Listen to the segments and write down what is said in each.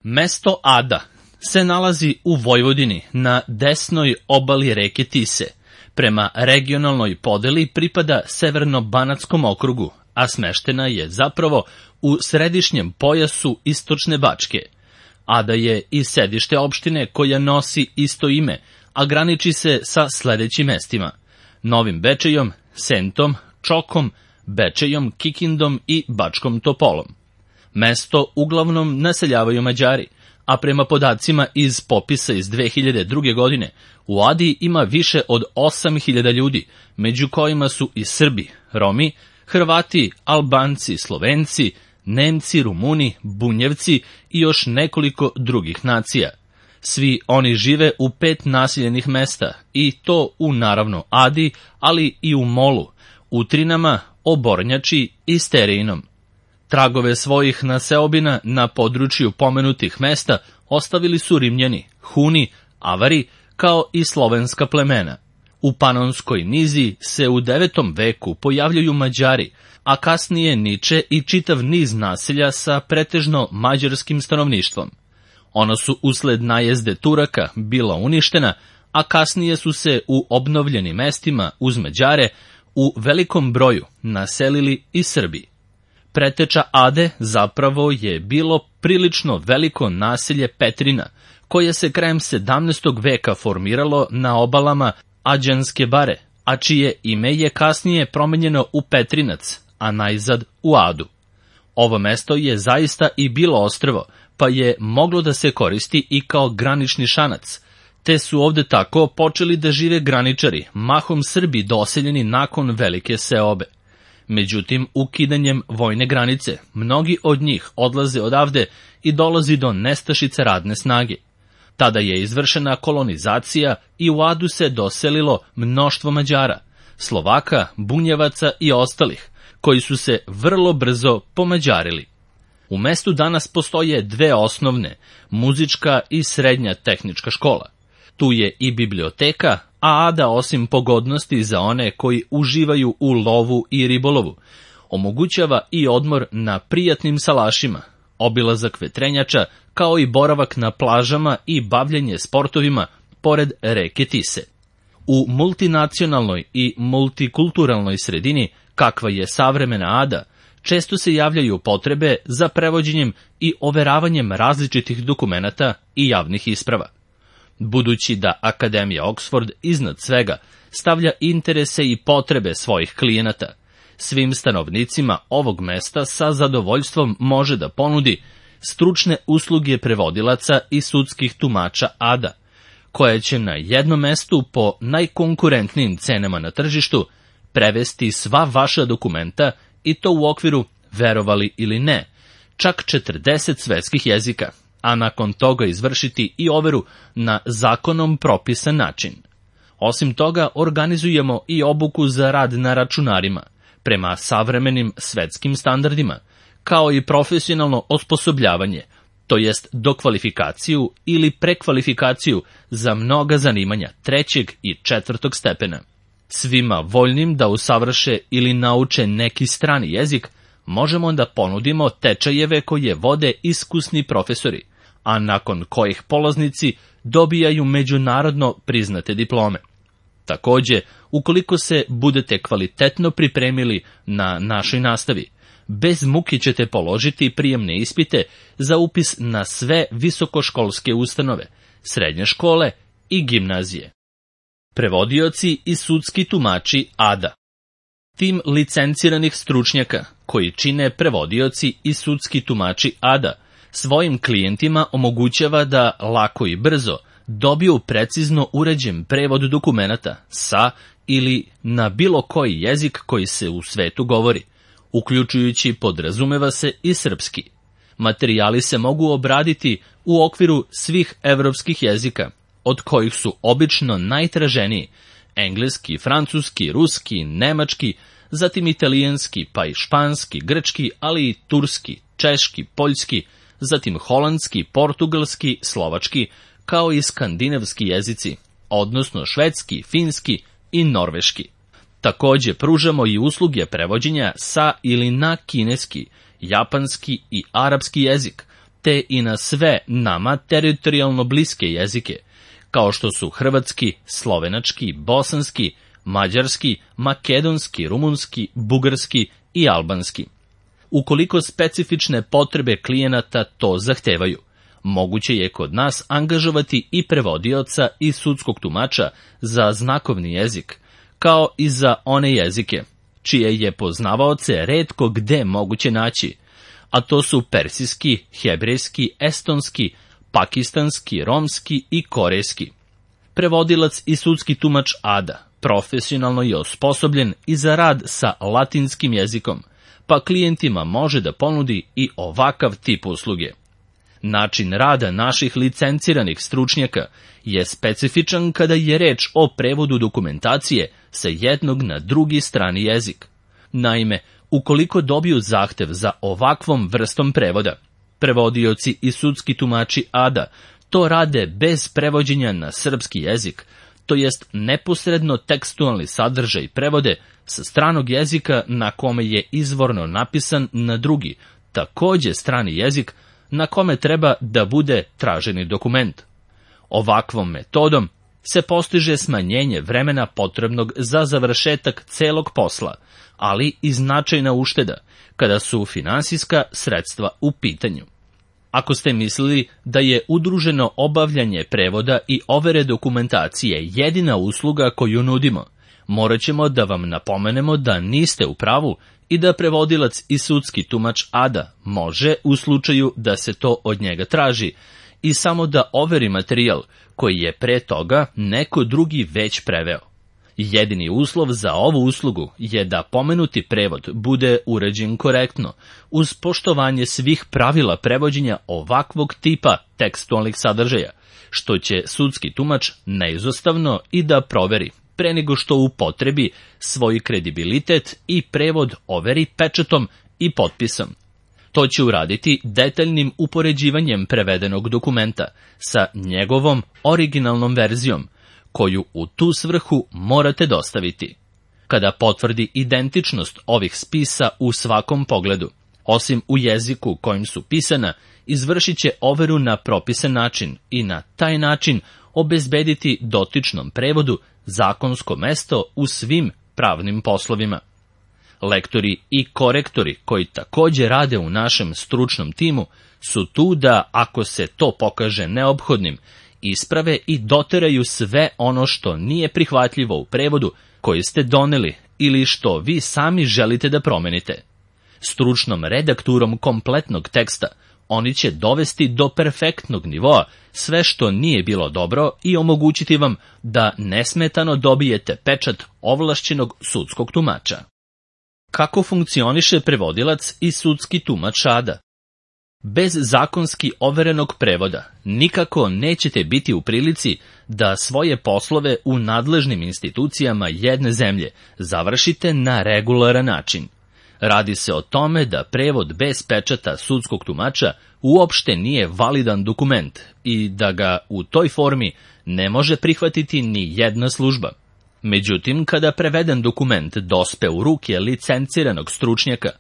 Mesto Ada se nalazi u Vojvodini na desnoj obali reke Tise. Prema regionalnoj podeli pripada Severno-banatskom okrugu, a smeštena je zapravo u središnjem pojasu istočne Bačke. Ada je i sedište opštine koja nosi isto ime, a graniči se sa sledećim mestima: Novim Bečejom, Sentom, Čokom, Bečejom, Kikindom i Bačkom Topolom. Mesto uglavnom naseljavaju Mađari, a prema podacima iz popisa iz 2002. godine, u Adi ima više od 8.000 ljudi, među kojima su i Srbi, Romi, Hrvati, Albanci, Slovenci, Nemci, Rumuni, Bunjevci i još nekoliko drugih nacija. Svi oni žive u 5 naseljenih mesta, i to u naravno Adi, ali i u Molu, Utrinama, Obornjači i Sterinom. Tragove svojih naseobina na području pomenutih mesta ostavili su Rimljani, Huni, Avari, kao i slovenska plemena. U Panonskoj nizi se u 9. veku pojavljaju Mađari, a kasnije niče i čitav niz naselja sa pretežno mađarskim stanovništvom. Ona su usled najezde Turaka bila uništena, a kasnije su se u obnovljenim mestima uz Mađare u velikom broju naselili i Srbi. Preteča Ade zapravo je bilo prilično veliko naselje Petrina, koje se krajem 17. veka formiralo na obalama Ađanske bare, a čije ime je kasnije promenjeno u Petrinac, a najzad u Adu. Ovo mesto je zaista i bilo ostrvo, pa je moglo da se koristi i kao granični šanac, te su ovde tako počeli da žive graničari, mahom Srbi doseljeni nakon velike seobe. Međutim, ukidanjem vojne granice, mnogi od njih odlaze odavde i dolazi do nestašice radne snage. Tada je izvršena kolonizacija i u Adu se doselilo mnoštvo Mađara, Slovaka, Bunjevaca i ostalih, koji su se vrlo brzo pomađarili. U mestu danas postoje 2 osnovne, muzička i srednja tehnička škola. Tu je i biblioteka, a Ada, osim pogodnosti za one koji uživaju u lovu i ribolovu, omogućava i odmor na prijatnim salašima, obilazak vetrenjača, kao i boravak na plažama i bavljenje sportovima pored reke Tise. U multinacionalnoj i multikulturalnoj sredini, kakva je savremena Ada, često se javljaju potrebe za prevođenjem i overavanjem različitih dokumenata i javnih isprava. Budući da Akademija Oxford iznad svega stavlja interese i potrebe svojih klijenata, svim stanovnicima ovog mesta sa zadovoljstvom može da ponudi stručne usluge prevodilaca i sudskih tumača Ada, koje će na jednom mestu po najkonkurentnijim cenama na tržištu prevesti sva vaša dokumenta, i to u okviru, verovali ili ne, čak 40 svetskih jezika, a nakon toga izvršiti i overu na zakonom propisan način. Osim toga, organizujemo i obuku za rad na računarima, prema savremenim svetskim standardima, kao i profesionalno osposobljavanje, to jest dokvalifikaciju ili prekvalifikaciju za mnoga zanimanja 3. i 4. stepena. Svima voljnim da usavrše ili nauče neki strani jezik, možemo da ponudimo tečajeve koje vode iskusni profesori, a nakon kojih polaznici dobijaju međunarodno priznate diplome. Takođe, ukoliko se budete kvalitetno pripremili na našoj nastavi, bez muke ćete položiti prijemne ispite za upis na sve visokoškolske ustanove, srednje škole i gimnazije. Prevodioci i sudski tumači Ada. Tim licenciranih stručnjaka, koji čine prevodioci i sudski tumači Ada, svojim klijentima omogućava da lako i brzo dobiju precizno uređen prevod dokumenata sa ili na bilo koji jezik koji se u svetu govori, uključujući, podrazumeva se, i srpski. Materijali se mogu obraditi u okviru svih evropskih jezika, od kojih su obično najtraženiji engleski, francuski, ruski, nemački, zatim italijanski, pa i španski, grčki, ali i turski, češki, poljski, zatim holandski, portugalski, slovački, kao i skandinavski jezici, odnosno švedski, finski i norveški. Takođe pružamo i usluge prevođenja sa ili na kineski, japanski i arapski jezik, te i na sve nama teritorijalno bliske jezike, kao što su hrvatski, slovenački, bosanski, mađarski, makedonski, rumunski, bugarski i albanski. Ukoliko specifične potrebe klijenata to zahtevaju, moguće je kod nas angažovati i prevodioca i sudskog tumača za znakovni jezik, kao i za one jezike, čije je poznavaoce retko gde moguće naći, a to su persijski, hebrejski, estonski, pakistanski, romski i korejski. Prevodilac i sudski tumač Ada profesionalno je osposobljen i za rad sa latinskim jezikom, pa klijentima može da ponudi i ovakav tip usluge. Način rada naših licenciranih stručnjaka je specifičan kada je reč o prevodu dokumentacije sa jednog na drugi strani jezik. Naime, ukoliko dobiju zahtev za ovakvom vrstom prevoda, prevodioci i sudski tumači Ada to rade bez prevođenja na srpski jezik, to jest neposredno tekstualni sadržaj prevode sa stranog jezika na kome je izvorno napisan na drugi, takođe strani jezik, na kome treba da bude traženi dokument. Ovakvom metodom se postiže smanjenje vremena potrebnog za završetak celog posla, ali i značajna ušteda kada su finansijska sredstva u pitanju. Ako ste mislili da je udruženo obavljanje prevoda i overe dokumentacije jedina usluga koju nudimo, morat ćemo da vam napomenemo da niste u pravu i da prevodilac i sudski tumač Ada može, u slučaju da se to od njega traži, i samo da overi materijal koji je pre toga neko drugi već preveo. Jedini uslov za ovu uslugu je da pomenuti prevod bude urađen korektno, uz poštovanje svih pravila prevođenja ovakvog tipa tekstualnih sadržaja, što će sudski tumač neizostavno i da proveri, pre nego što upotrebi svoj kredibilitet i prevod overi pečatom i potpisom. To će uraditi detaljnim upoređivanjem prevedenog dokumenta sa njegovom originalnom verzijom, koju u tu svrhu morate dostaviti. Kada potvrdi identičnost ovih spisa u svakom pogledu, osim u jeziku kojim su pisana, izvršit će overu na propisan način i na taj način obezbediti dotičnom prevodu zakonsko mesto u svim pravnim poslovima. Lektori i korektori koji takođe rade u našem stručnom timu su tu da, ako se to pokaže neophodnim, isprave i doteraju sve ono što nije prihvatljivo u prevodu koji ste doneli ili što vi sami želite da promenite. Stručnom redakturom kompletnog teksta oni će dovesti do perfektnog nivoa sve što nije bilo dobro i omogućiti vam da nesmetano dobijete pečat ovlašćenog sudskog tumača. Kako funkcioniše prevodilac i sudski tumač Ada? Bez zakonski overenog prevoda nikako nećete biti u prilici da svoje poslove u nadležnim institucijama jedne zemlje završite na regularan način. Radi se o tome da prevod bez pečata sudskog tumača uopšte nije validan dokument i da ga u toj formi ne može prihvatiti ni jedna služba. Međutim, kada preveden dokument dospe u ruke licenciranog stručnjaka,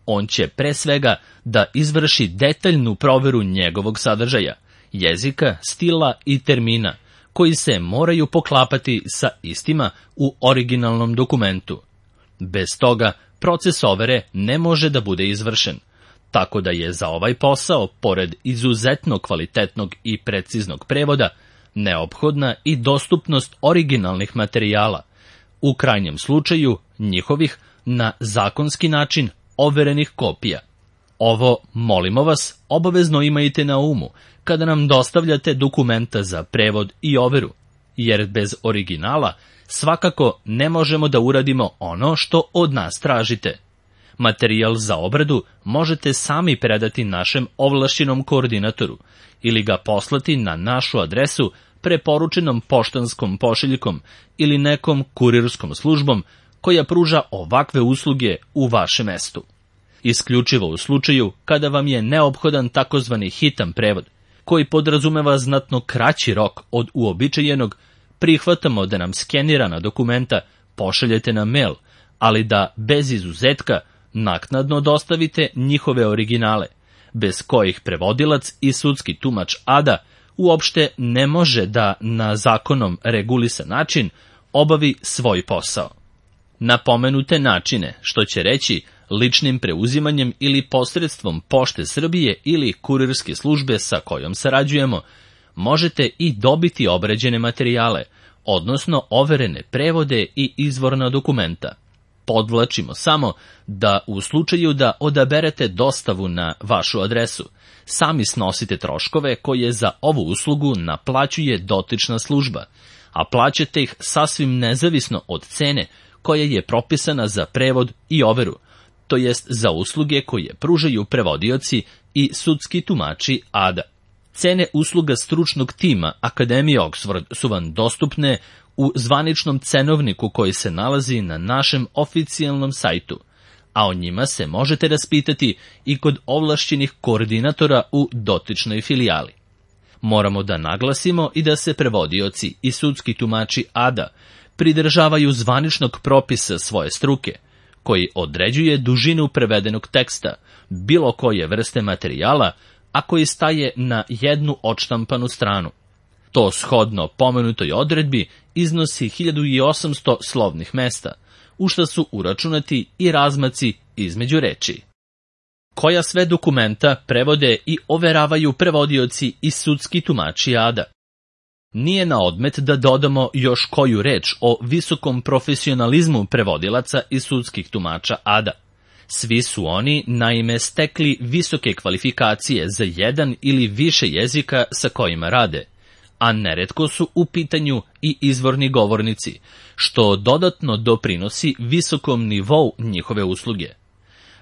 on će pre svega da izvrši detaljnu proveru njegovog sadržaja, jezika, stila i termina, koji se moraju poklapati sa istima u originalnom dokumentu. Bez toga, proces overe ne može da bude izvršen, tako da je za ovaj posao, pored izuzetno kvalitetnog i preciznog prevoda, neophodna i dostupnost originalnih materijala, u krajnjem slučaju njihovih na zakonski način overenih kopija. Ovo, molimo vas, obavezno imajte na umu kada nam dostavljate dokumenta za prevod i overu, jer bez originala svakako ne možemo da uradimo ono što od nas tražite. Materijal za obradu možete sami predati našem ovlašćenom koordinatoru ili ga poslati na našu adresu preporučenom poštanskom pošiljkom ili nekom kurirskom službom koja pruža ovakve usluge u vašem mestu. Isključivo u slučaju kada vam je neophodan takozvani hitan prevod, koji podrazumeva znatno kraći rok od uobičajenog, prihvatamo da nam skenirana dokumenta pošaljete na mail, ali da bez izuzetka naknadno dostavite njihove originale, bez kojih prevodilac i sudski tumač Ada uopšte ne može da na zakonom regulisan način obavi svoj posao. Na pomenute načine, što će reći ličnim preuzimanjem ili posredstvom Pošte Srbije ili kurirske službe sa kojom sarađujemo, možete i dobiti obrađene materijale, odnosno overene prevode i izvorna dokumenta. Podvlačimo samo da u slučaju da odaberete dostavu na vašu adresu, sami snosite troškove koje za ovu uslugu naplaćuje dotična služba, a plaćate ih sasvim nezavisno od cene koja je propisana za prevod i overu, to jest za usluge koje pružaju prevodioci i sudski tumači Ada. Cene usluga stručnog tima Akademije Oxford su vam dostupne u zvaničnom cenovniku koji se nalazi na našem oficijalnom sajtu, a o njima se možete raspitati i kod ovlašćenih koordinatora u dotičnoj filijali. Moramo da naglasimo i da se prevodioci i sudski tumači Ada pridržavaju zvaničnog propisa svoje struke, koji određuje dužinu prevedenog teksta, bilo koje vrste materijala, a koji staje na jednu odštampanu stranu. To shodno pomenutoj odredbi iznosi 1800 slovnih mesta, u šta su uračunati i razmaci između reči. Koja sve dokumenta prevode i overavaju prevodioci i sudski tumači Ada? Nije na odmet da dodamo još koju reč o visokom profesionalizmu prevodilaca i sudskih tumača Ada. Svi su oni, naime, stekli visoke kvalifikacije za jedan ili više jezika sa kojima rade, a neretko su u pitanju i izvorni govornici, što dodatno doprinosi visokom nivou njihove usluge.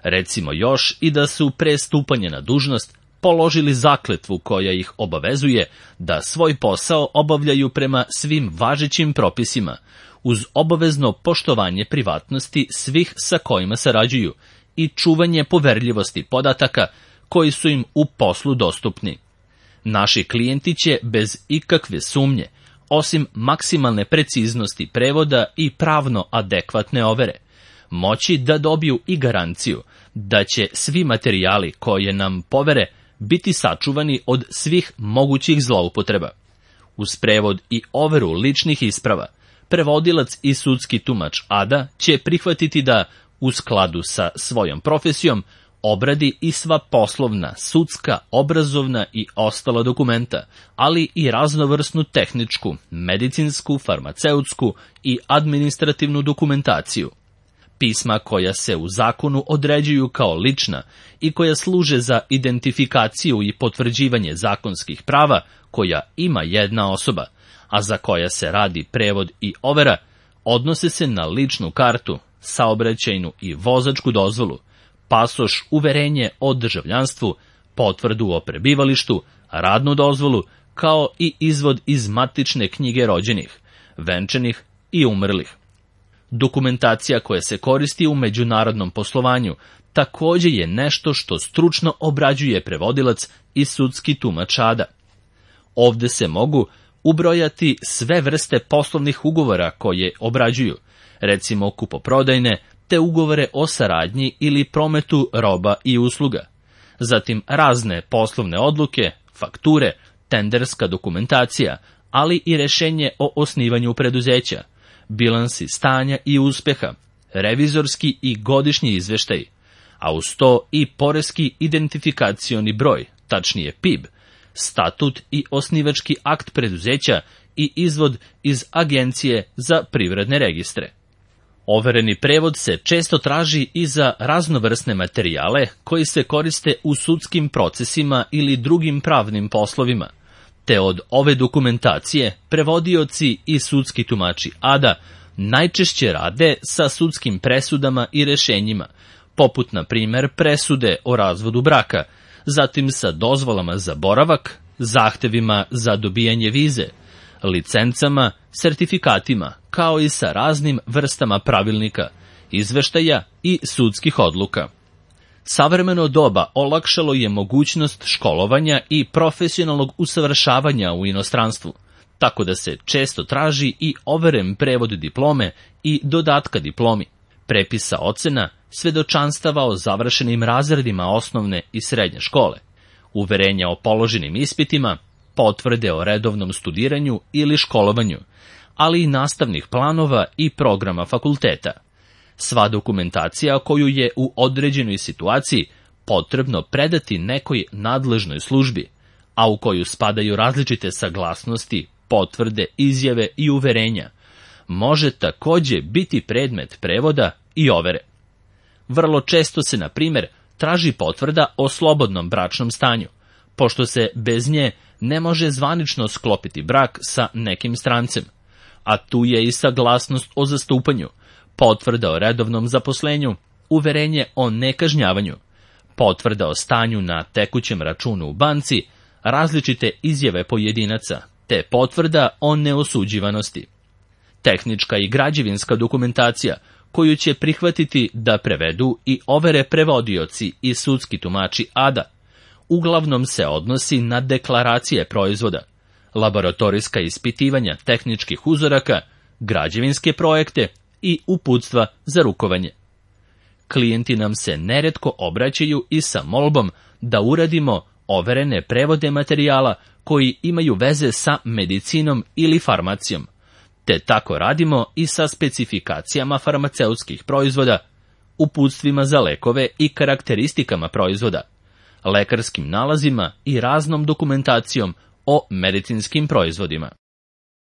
Recimo još i da su pre stupanja na dužnost položili zakletvu koja ih obavezuje da svoj posao obavljaju prema svim važećim propisima, uz obavezno poštovanje privatnosti svih sa kojima sarađuju i čuvanje poverljivosti podataka koji su im u poslu dostupni. Naši klijenti će bez ikakve sumnje, osim maksimalne preciznosti prevoda i pravno adekvatne overe, moći da dobiju i garanciju da će svi materijali koje nam povere biti sačuvani od svih mogućih zloupotreba. Uz prevod i overu ličnih isprava, prevodilac i sudski tumač Ada će prihvatiti da, u skladu sa svojom profesijom, obradi i sva poslovna, sudska, obrazovna i ostala dokumenta, ali i raznovrsnu tehničku, medicinsku, farmaceutsku i administrativnu dokumentaciju. Pisma koja se u zakonu određuju kao lična i koja služe za identifikaciju i potvrđivanje zakonskih prava koja ima jedna osoba, a za koja se radi prevod i overa, odnose se na ličnu kartu, saobraćajnu i vozačku dozvolu, pasoš, uverenje o državljanstvu, potvrdu o prebivalištu, radnu dozvolu, kao i izvod iz matične knjige rođenih, venčanih i umrlih. Dokumentacija koja se koristi u međunarodnom poslovanju takođe je nešto što stručno obrađuje prevodilac i sudski tumač Ada. Ovde se mogu ubrojati sve vrste poslovnih ugovora koje obrađuju, recimo kupoprodajne, te ugovore o saradnji ili prometu roba i usluga. Zatim razne poslovne odluke, fakture, tenderska dokumentacija, ali i rešenje o osnivanju preduzeća, bilansi stanja i uspeha, revizorski i godišnji izveštaj, a uz to i poreski identifikacioni broj, tačnije PIB, statut i osnivački akt preduzeća i izvod iz Agencije za privredne registre. Overeni prevod se često traži i za raznovrsne materijale koji se koriste u sudskim procesima ili drugim pravnim poslovima, te od ove dokumentacije prevodioci i sudski tumači Ada najčešće rade sa sudskim presudama i rešenjima, poput na primer presude o razvodu braka, zatim sa dozvolama za boravak, zahtevima za dobijanje vize, licencama, sertifikatima, kao i sa raznim vrstama pravilnika, izveštaja i sudskih odluka. Savremeno doba olakšalo je mogućnost školovanja i profesionalnog usavršavanja u inostranstvu, tako da se često traži i overen prevod diplome i dodatka diplomi, prepisa ocena, svedočanstava o završenim razredima osnovne i srednje škole, uverenja o položenim ispitima, potvrde o redovnom studiranju ili školovanju, ali i nastavnih planova i programa fakulteta. Sva dokumentacija koju je u određenoj situaciji potrebno predati nekoj nadležnoj službi, a u koju spadaju različite saglasnosti, potvrde, izjave i uverenja, može takođe biti predmet prevoda i overe. Vrlo često se, na primjer, traži potvrda o slobodnom bračnom stanju, pošto se bez nje ne može zvanično sklopiti brak sa nekim strancem, a tu je i saglasnost o zastupanju, potvrda o redovnom zaposlenju, uverenje o nekažnjavanju, potvrda o stanju na tekućem računu u banci, različite izjave pojedinaca, te potvrda o neosuđivanosti. Tehnička i građevinska dokumentacija, koju će prihvatiti da prevedu i overe prevodioci i sudski tumači ADA, uglavnom se odnosi na deklaracije proizvoda, laboratorijska ispitivanja tehničkih uzoraka, građevinske projekte i uputstva za rukovanje. Klijenti nam se neretko obraćaju i sa molbom da uradimo overene prevode materijala koji imaju veze sa medicinom ili farmacijom, te tako radimo i sa specifikacijama farmaceutskih proizvoda, uputstvima za lekove i karakteristikama proizvoda, lekarskim nalazima i raznom dokumentacijom o medicinskim proizvodima.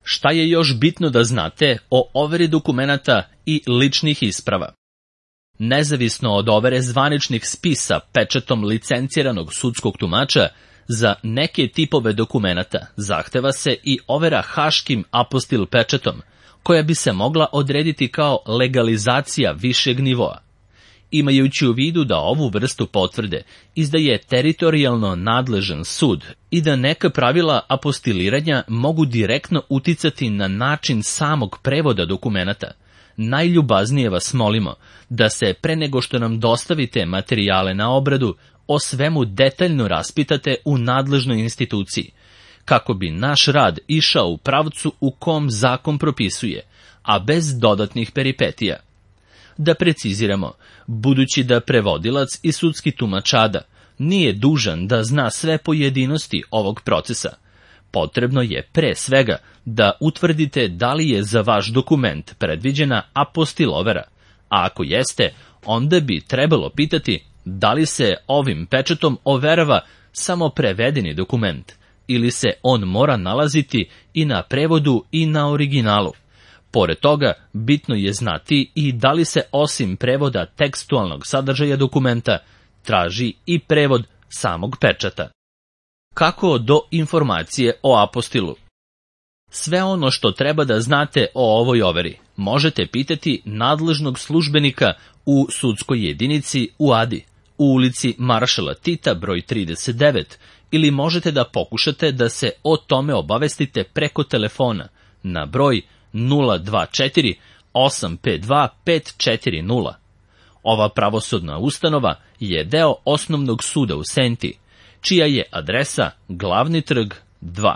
Šta je još bitno da znate o overi dokumenata i ličnih isprava? Nezavisno od overe zvaničnih spisa pečatom licenciranog sudskog tumača, za neke tipove dokumenata zahteva se i overa haškim apostil pečatom, koja bi se mogla odrediti kao legalizacija višeg nivoa. Imajući u vidu da ovu vrstu potvrde izdaje teritorijalno nadležan sud i da neka pravila apostiliranja mogu direktno uticati na način samog prevoda dokumenata, najljubaznije vas molimo da se pre nego što nam dostavite materijale na obradu, o svemu detaljno raspitate u nadležnoj instituciji, kako bi naš rad išao u pravcu u kom zakon propisuje, a bez dodatnih peripetija. Da preciziramo, budući da prevodilac i sudski tumač ADA nije dužan da zna sve pojedinosti ovog procesa, potrebno je pre svega da utvrdite da li je za vaš dokument predviđena apostil overa, a ako jeste, onda bi trebalo pitati da li se ovim pečatom overava samo prevedeni dokument, ili se on mora nalaziti i na prevodu i na originalu. Pored toga, bitno je znati i da li se osim prevoda tekstualnog sadržaja dokumenta traži i prevod samog pečata. Kako do informacije o apostilu? Sve ono što treba da znate o ovoj overi možete pitati nadležnog službenika u sudskoj jedinici u Adi, u ulici Maršala Tita broj 39, ili možete da pokušate da se o tome obavestite preko telefona na broj 024 852 540. Ova pravosudna ustanova je deo Osnovnog suda u Senti, čija je adresa Glavni trg 2.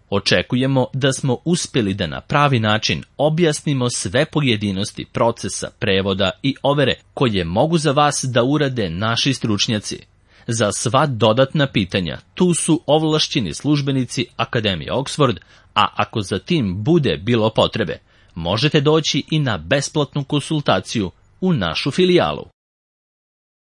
Očekujemo da smo uspeli da na pravi način objasnimo sve pojedinosti procesa prevoda i overe koje mogu za vas da urade naši stručnjaci. Za sva dodatna pitanja tu su ovlašćeni službenici Akademije Oxford, a ako za tim bude bilo potrebe, možete doći i na besplatnu konsultaciju u našu filijalu.